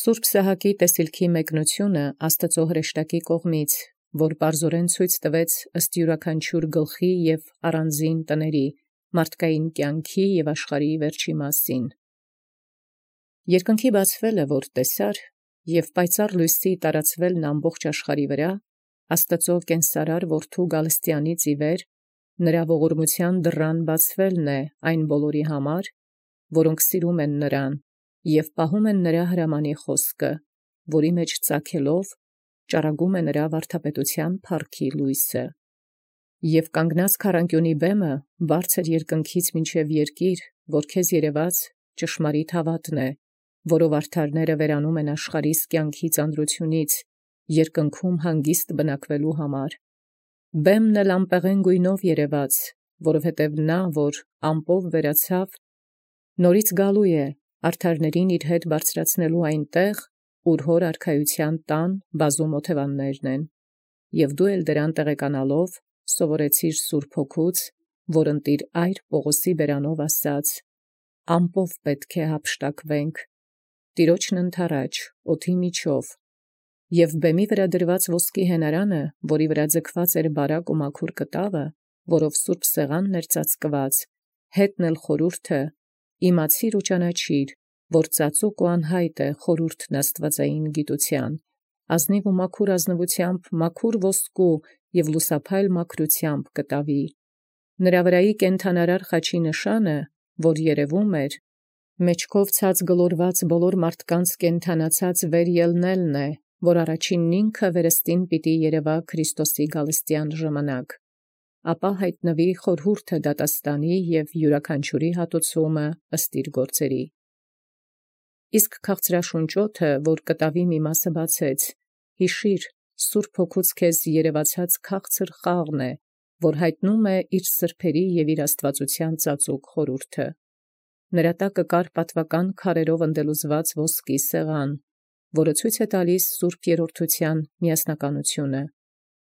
Սուրբ Սահակի տեսիլքի մեկնությունը Աստծո հրեշտակի կողմից, որ պարզորեն ցույց տվեց ըստ յուրաքանչյուր գլխի և առանձին տների, մարդկային կյանքի և աշխարհի վերջի մասին։ Երկնքի բացվելը, որ տեսար, և պայծառ լույսի տարածվելն ամբողջ աշխարհի վրա, Աստծո կենսարար որդու գալստյանից ի վեր, նրա ողորմության դռան բացվելն է այն բոլորի համար, որոնք սիրում են նրան, և պահում են նրա հրամանի խոսքը, որի մեջ ծագելով ճառագում է նրա վարդապետության փառքի լույսը։ Եվ կանգնած քառանկյունի բեմը բարձր երկնքից մինչև երկիր, որ քեզ երևաց, ճշմարիտ հավատն է, որով արդարները վերանում են աշխարհիս կյանքի ծանրությունից, երկնքում հանգիստ բնակվելու համար։ Բեմն էլ ամպեղեն գույնով երևաց, որովհետև նա, որ ամպով վերացավ, նորից գալու է արդարներին իր հետ բարձրացնելու այնտեղ, ուր հոր արքայության տան բազում օթևաններն են։ Եվ դու էլ դրան տեղեկանալով սովորեցիր Սուրբ Հոգուց, որ ընտիր այր Պողոսի բերանով ասաց. ամպով պետք է հափշտակվենք, Տիրոջն ընդառաջ, օդի միջով, և բեմի վրա դրված ոսկի հենարանը, որի վրա ձգված էր բարակ ու մաքուր կտավը, որով Սուրբ Սեղանն էր ծածկված, հետն էլ խորհուրդը, իմացիր ու ճանաչիր, որ ծածուկ ու անհայտ է խորհուրդն աստվածային գիտության, ազնիվ ու մաքուր ազնվությամբ մաքուր ոսկու և լուսափայլ մաքրությամբ կտավի։ Նրա վրայի կենդանարար խաչի նշանը, որ երևում էր, մեջքով ցած գլորված բոլոր մարդկանց կենդանացած վեր ելնելն է, որ առաջինն ինքը վերստին պիտի երևա Քրիստոսի գալստյան ժամանակ, ապա հայտնվի խորհուրդը դատաստանի և յուրաքանչյուրի հատուցումը ըստ իր գործերի։ Իսկ քաղցրաշունչ օդը, որ կտավի մի մասը բացեց, հիշիր, Սուրբ Հոգուց քեզ երևացած քաղցր խաղն է, որ հայտնում է իր սրբերի և իր աստվածության ծածուկ խորհուրդը։ Նրա տակը կար պատվական քարերով ընդելուզված ոսկի սեղան, որը ցույց է տալիս Սուրբ Երրորդության միասնականությունը,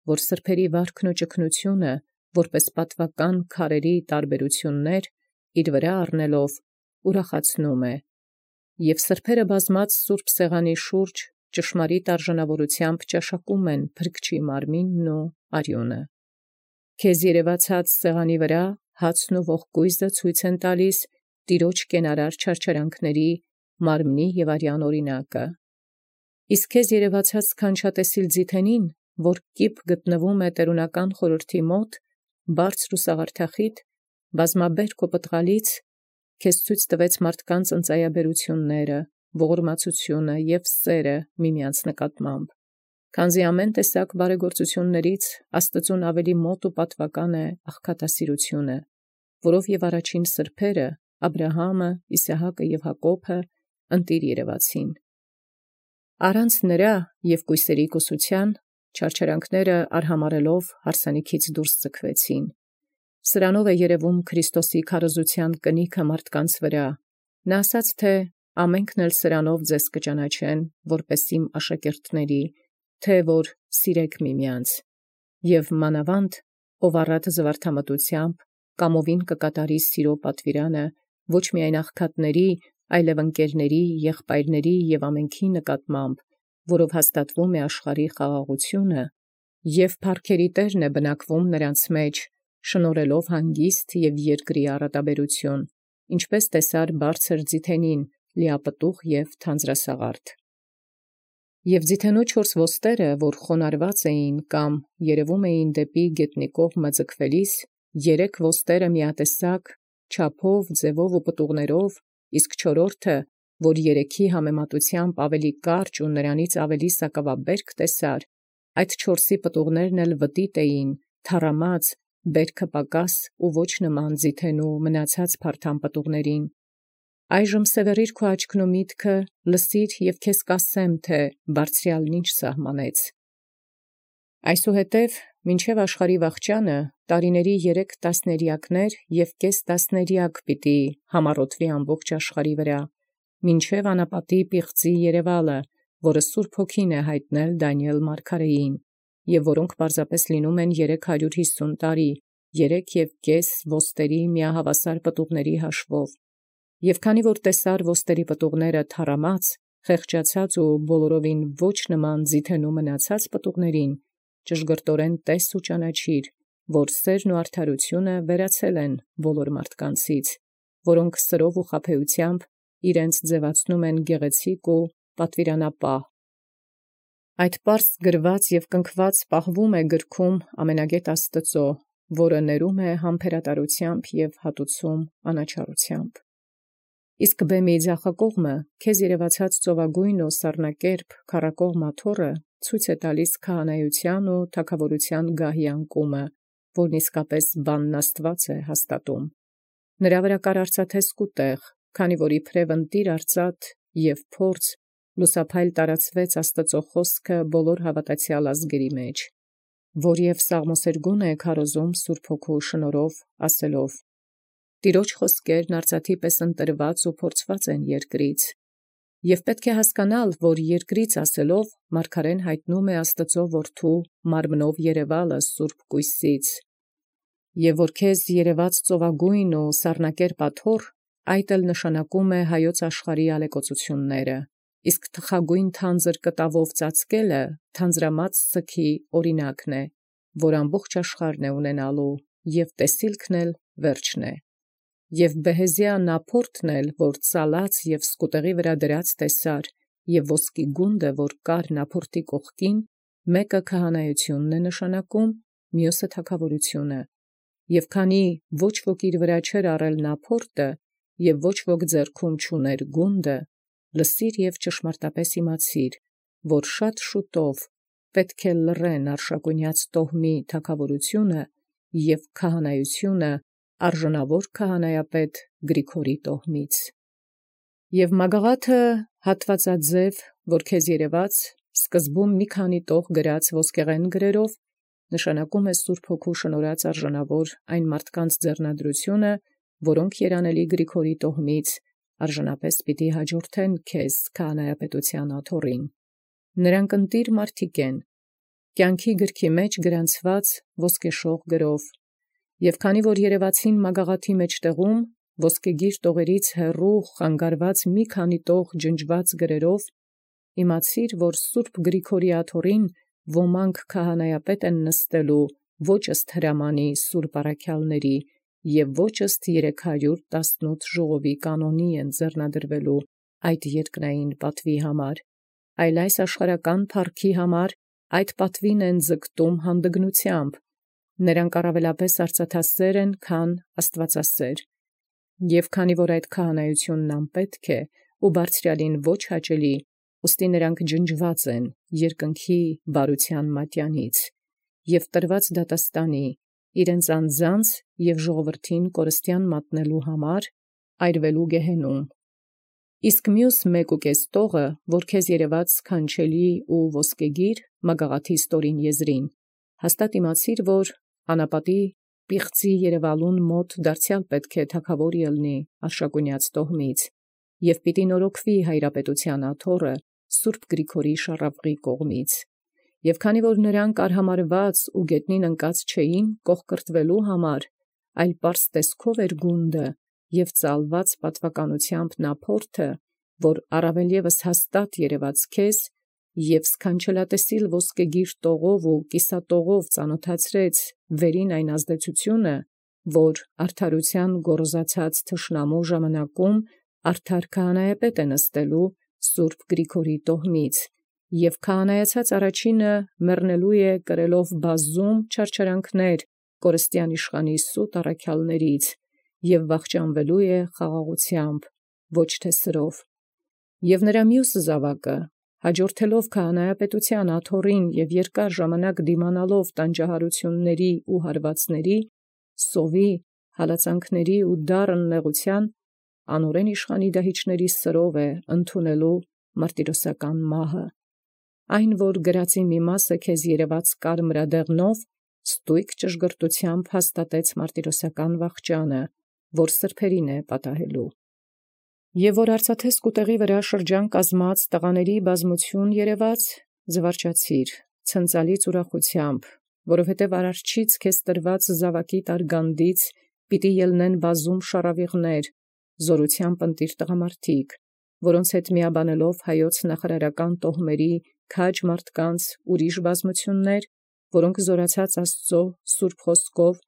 որ սրբերի վարքն ու ճգնությունը, որպես պատվական քարերի տարբերություններ, իր վրա առնելով, ուրախացնում է։ Եվ սրբերը բազմած Սուրբ Սեղանի շուրջ ճշմարիտ արժանավորությամբ ճաշակում են Փրկչի մարմինն ու արյունը։ Քեզ երևացած սեղանի վրա հացն ու ողկույզը ցույց են տալիս Տիրոջ կենարար չարչարանքների, մարմնի և արյան օրինակը։ Իսկ քեզ երևացած սքանչատեսիլ ձիթենին, որ կիպ գտնվում է տերունական խորհրդի մոտ, բարձր ու սաղարթախիտ, բազմաբերք ու պտղալից, քեզ ցույց տվեց մարդկանց ընծայաբերությունները, ողորմածությունը և սերը միմյանց նկատմամբ, քանզի ամեն տեսակ բարեգործություններից Աստծուն ավելի մոտ ու պատվական է աղքատասիրությունը, որով և առաջին սրբերը Աբրահամը, Իսահակը և Հակոբը ընտիր երևացին։ Առանց նրա և կույսերի կուսության չարչարանքները արհամարելով հարսանիքից դուրս ձգվեցին։ Սրանով է երևում Քրիստոսի քարոզության կնիքը մարդկանց վրա։ Նա ասաց, թե ամենքն էլ սրանով ձեզ կճանաչեն, որպես իմ աշակերտների, թե որ սիրեք միմյանց, և մանավանդ, ով առատ զվարթամտությամբ, կամովին կկատարի սիրո պատվիրանը, ոչ միայն աղքատների, այլև ընկերների, եղբայրների և ամենքի նկատմամբ, որով հաստատվում է աշխարհի խաղաղությունը, և փառքերի Տերն է բնակվում նրանց մեջ, շնորհելով հանգիստ և երկրի առատաբերություն, ինչպես տեսար բարձր ձիթենին, լիապտուղ և թանձրասաղարթ։ Եվ ձիթենու 4 ոստերը, որ խոնարհված էին կամ երևում էին դեպի գետնի կողմը ձգվելիս, 3 ոստերը միատեսակ, չափով, ձևով ու պտուղներով, իսկ 4-ը, որ 3-ի համեմատությամբ ավելի կարճ ու նրանից ավելի սակավաբերք տեսար, այդ 4-ի պտուղներն էլ վտիտ էին, թառամած, բերքը պակաս ու ոչ նման ձիթենու մնացած փարթամ պտուղներին։ Այժմ սևեռիր քո աչքն ու միտքը, լսիր և քեզ կասեմ, թե Բարձրյալն ինչ սահմանեց։ Այսուհետև մինչև աշխարհի վախճանը տարիների 3 տասներիակներ և կես տասներիակ պիտի համառոթվի ամբողջ աշխարհի վրա, մինչև անապատի պիղծի երևալը, որը Սուրբ Հոգին է հայտնել Դանիել մարգարեին, և որոնք պարզապես լինում են 350 տարի, 3.5 ոստերի միահավասար պտուղների հաշվով։ Եվ քանի որ տեսար ոստերի պտուղները թառամած, խեղճացած ու բոլորովին ոչ նման ձիթենու մնացած պտուղներին, ճշգրտորեն տես ու ճանաչիր, որ սերն ու արդարությունը վերացել են բոլոր մարդկանցից, որոնք սրով ու խաբեությամբ իրենց ձևացնում են գեղեցիկ ու պատվիրանապահ։ Այդ պարզ գրված և կնքված պահվում է գրքում ամենագետ Աստուծո, որը ներում է համբերատարությամբ և հատուցում անաչառությամբ։ Իսկ բեմի ձախակողմը քեզ երևացած ծովագույն ու սառնակերպ քառակող մաթոռը ցույց է տալիս քահանայության ու թագավորության գահի անկումը, որն իսկապես բանն Աստուած է հաստատում։ Նրա վրա կար արծաթե սկուտեղ, քանի որ իբրև ընտիր արծաթ և փորձ լուսափայլ տարածվեց Աստուծո խոսքը բոլոր հավատացյալ ազգերի մեջ, որ և Սաղմոսերգուն է քարոզում Սուրբ Հոգու շնորհով ասելով. «Տիրոջ խոսքերն արծաթի պես ընտրված ու փորձված են երկրից», և պետք է հասկանալ, որ երկրից ասելով մարգարեն հայտնում է Աստուծո որդու մարմնով երևալը Սուրբ կույսից, և որ քեզ երևաց ծովագույն ու սառնակերպ աթոռ, այդ էլ նշանակում է հայոց աշխարհի ալեկոծությունները, իսկ թխագույն թանձր կտավով ծածկելը թանձրամած սգի օրինակն է, որ ամբողջ աշխարհն է ունենալու, և տեսիլքն էլ վերջն է։ Եւ բեհեզիա նափորտն էլ, որ ծալած և սկուտեղի վրա դրած տեսար, և ոսկի գունդը, որ կար նափորտի կողքին, մեկը քահանայությունն է նշանակում, մյուսը թագավորությունը։ Եւ քանի ոչ ոք իր վրա չէր առել նափորտը, և ոչ ոք ձեռքում չուներ գունդը, լսիր և ճշմարտապես իմացիր, որ շատ շուտով պետք է լռեն արշակունյաց տոհմի թագավորությունը և քահանայությունը արժանավոր քահանայապետ Գրիգորի տոհմից։ Եւ մագաղաթը հատվածաձև, որ քեզ երևաց, սկզբում մի քանի տող գրած ոսկեղեն գրերով, նշանակում է Սուրբ Հոգու շնորհած արժանավոր այն մարդկանց ձեռնադրությունը, որոնք երանելի Գրիգորի տոհմից արժանապես պիտի հաջորդեն քեզ քահանայապետության աթոռին։ Նրանք ընտիր մարդիկ են, կյանքի գրքի մեջ գրանցված ոսկեշող գրով, և քանի որ երևացին մագաղաթի մեջտեղում ոսկեգիր տողերից հեռու խանգարված մի քանի տող ջնջված գրերով, իմացիր, որ Սուրբ Գրիգորի աթոռին ոմանք քահանայապետ են նստելու ոչ ըստ հրամանի սուրբ առաքյալների, և ոչ ըստ 318 ժողովի կանոնի են ձեռնադրվելու այդ երկնային պատվի համար, այլ այս աշխարհական փառքի համար այդ պատվին են ձգտում հանդգնությամբ, նրանք առավելապես արծաթասեր են, քան աստվածասեր, և քանի որ այդ քահանայությունն անպետք է ու բարձրյալին ոչ հաճելի, ուստի նրանք ջնջված են երկնքի բարության մատյանից և տրված դատաստանի, իրենց անձանց և ժողովրդին կորստյան մատնելու համար այրվելու գեհենում։ Իսկ մյուս 1.5 տողը, որ քեզ երևաց սքանչելի ու ոսկեգիր մագաղաթի ստորին եզրին, հաստատ իմացիր, որ անապատի պիղծի երևալուն մոտ դարձյալ պետք է թագավոր ելնի արշակունյաց տոհմից, և պիտի նորոգվի հայրապետության աթոռը Սուրբ Գրիգորի շառավղի կողմից, և քանի որ նրանք արհամարված ու գետնին ընկած չէին կողկրտվելու համար, այլ պարզ տեսքով էր գունդը և ծալված պատվականությամբ նափորտը, որ առավել ևս հաստատ երևաց քեզ, և սքանչելատեսիլ ոսկեգիր տողով ու կիսատողով ծանոթացրեց վերին այն ազդեցությունը, որ արդարության գոռոզացած թշնամու ժամանակում արդար քահանայապետ է նստելու Սուրբ Գրիգորի տոհմից, և քահանայացած առաջինը մեռնելու է կրելով բազում չարչարանքներ կորստյան իշխանի սուտ առաքյալներից, և վախճանվելու է խաղաղությամբ, ոչ թե սրով։ Եւ նրա մյուս զաւակը, հաջորդելով քահանայապետության աթոռին և երկար ժամանակ դիմանալով տանջահարությունների ու հարվածների, սովի, հալածանքների ու դառն նեղության, անօրեն իշխանի դահիճների սրով է ընդունելու մարտիրոսական մահը։ Այն, որ գրածի մի մասը քեզ երևաց կարմրադեղնով, ստույգ ճշգրտությամբ հաստատեց մարտիրոսական վախճանը, որ սրբերին է պատահելու։ Եւ որ արծաթե սկուտեղի վրա շրջան կազմած տղաների բազմություն երևաց, զվարճացիր, ցնծալից ուրախությամբ, որովհետև արարչից քեզ տրված զավակի տարգանդից պիտի ելնեն բազում շառավիղներ, զօրությամբ ընտիր տղամարդիկ, որոնց հետ միաբանելով հայոց նախարարական տոհմերի քաջ մարդկանց ուրիշ բազմություններ, որոնք զորացած Աստծո սուրբ խոսքով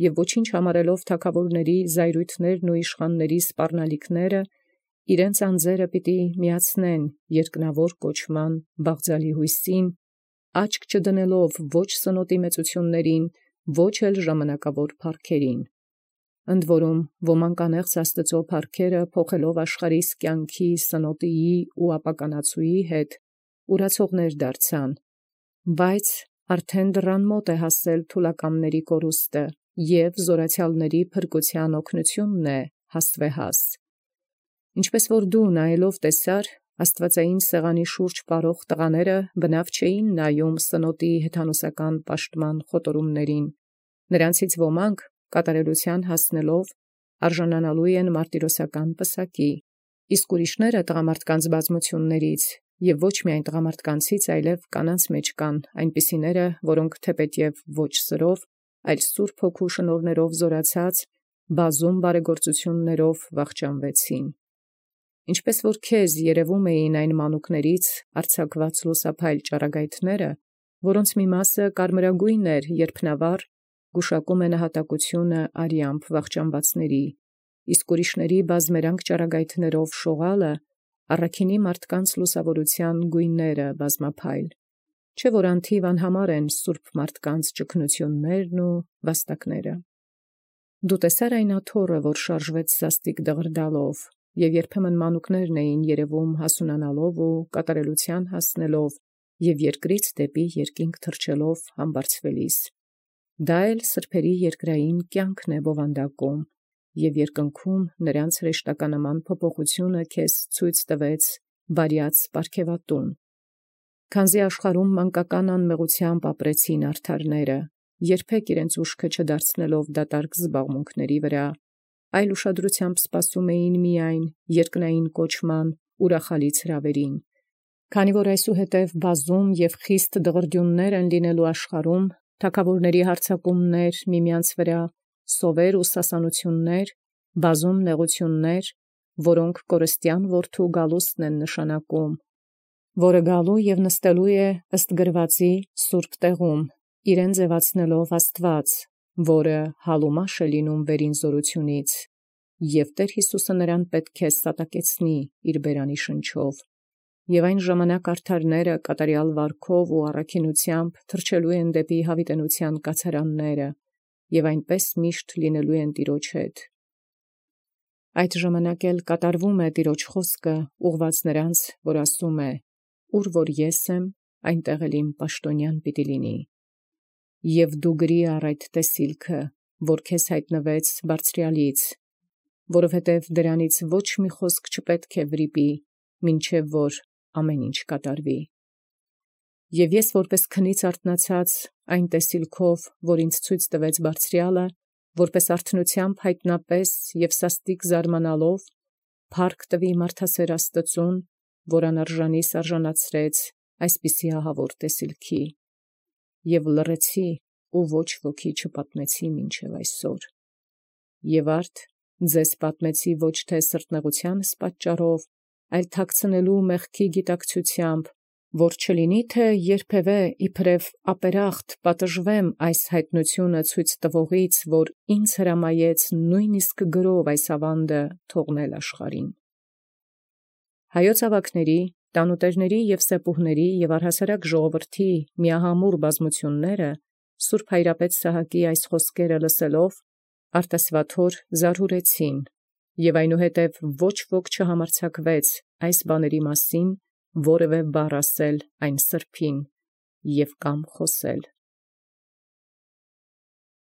եւ ոչինչ համարելով թագավորների զայրույթներն ու իշխանների սպառնալիքները, իրենց անձերը պիտի միացնեն երկնավոր կոչման բաղձալի հույսին, աչք չդնելով ոչ սնոտի մեծություններին, ոչ էլ ժամանակավոր փառքերին։ Ընդ որում ոմանք անեղծ Աստծո փառքերը փոխելով աշխարհիս կյանքի սնոտիի ու ապականացուի հետ ուրացողներ դարձան, բայց արդեն դռան մոտ է հասել թուլակամների կորուստը և զորացյալների փրկության օգնությունն է հաստվեհաս։ Ինչպես որ դու նայելով տեսար, աստվածային սեղանի շուրջ պարող տղաները բնավ չէին նայում սնոտի հեթանոսական պաշտման խոտորումներին, նրանցից ոմանք կատարելության հասնելով արժանանալու են մարտիրոսական պսակի, իսկ ուրիշները տղամարդկանց բազմություններից և ոչ միայն տղամարդկանցից, այլև կանանց մեջ կան այնպիսիները, որոնք թեպետև ոչ սրով, այլ Սուրբ Հոգու շնորհներով զորացած բազում բարեգործություններով վախճանվեցին։ Ինչպես որ քեզ երևում էին այն մանուկներից արձակված լուսափայլ ճառագայթները, որոնց մի մասը կարմրագույն էր, երփնավառ, գուշակում է նահատակությունը արյամբ վախճանվածների, իսկ ուրիշների բազմերանգ ճառագայթներով շողալը առաքինի մարդկանց լուսավորության գույները բազմափայլ, չէ՞ որ անթիվ անհամար են սուրբ մարդկանց ճգնություններն ու վաստակները։ Դու տեսար այն աթոռը, որ շարժվեց սաստիկ դղրդալով, և երբեմն մանուկներն էին երևում հասունանալով ու կատարելության հասնելով և երկրից դեպի երկինք թռչելով համբարձվելիս։ Դա էլ սրբերի երկրային կյանքն է բովանդակում, և երկնքում նրանց հրեշտականման փոփոխությունը քեզ ցույց տվեց բարյաց պարգևատուն։ Քանզի աշխարհում մանկական անմեղությամբ ապրեցին արդարները, երբեք իրենց ուշքը չդարձնելով դատարկ զբաղմունքների վրա, այլ ուշադրությամբ սպասում էին միայն երկնային կոչման ուրախալից հրավերին։ Քանի որ այսուհետև բազում և խիստ դղրդյուններ են լինելու աշխարհում, թագավորների հարձակումներ միմյանց վրա, սովեր ու սասանություններ, բազում նեղություններ, որոնք կորստյան որդու գալուստն են նշանակում, որը գալու և նստելու է ըստ գրվածի սուրբ տեղում, իրեն ձևացնելով Աստված, որը հալումաշ է լինում վերին զորությունից, և Տեր Հիսուսը նրան պետք է սատակեցնի իր բերանի շնչով, և այն ժամանակ արդարները կատարյալ վարքով ու առաքինությամբ թռչելու են դեպի հավիտենության կացարանները, և այնպես միշտ լինելու են Տիրոջ հետ։ Այդ ժամանակ էլ կատարվում է Տիրոջ խոսքը ուղղված նրանց, որ ասում է. «Ուր որ ես եմ, այնտեղ էլ իմ պաշտոնյան պիտի լինի»։ Եվ դու գրի առ այդ տեսիլքը, որ քեզ հայտնվեց Բարձրյալից, որովհետև դրանից ոչ մի խոսք չպետք է վրիպի, մինչև որ ամեն ինչ կատարվի։ Եվ ես որպես քնից արթնացած այն տեսիլքով, որ ինձ ցույց տվեց Բարձրյալը, որպես արթնությամբ հայտնապես և սաստիկ զարմանալով, փառք տվի մարդասեր Աստծուն, որ անարժանիս արժանացրեց այսպիսի ահավոր տեսիլքի, և լռեցի ու ոչ ոքի չպատմեցի մինչև այսօր։ Եվ արդ ձեզ պատմեցի ոչ թե սրտնեղությանս պատճառով, այլ թաքցնելու մեղքի գիտակցությամբ, որ չլինի թե երբևէ իբրև ապերախտ պատժվեմ այս հայտնությունը ցույց տվողից, որ ինձ հրամայեց նույնիսկ գրով այս ավանդը թողնել աշխարհին։ Հայոց ավագների, տանուտերների և սեպուհների և առհասարակ ժողովրդի միահամուռ բազմությունները Սուրբ Հայրապետ Սահակի այս խոսքերը լսելով արտասվաթոր զարհուրեցին, և այնուհետև ոչ ոք չհամարձակվեց այս բաների մասին որևէ բառ ասել այն սրբին և կամ խոսել։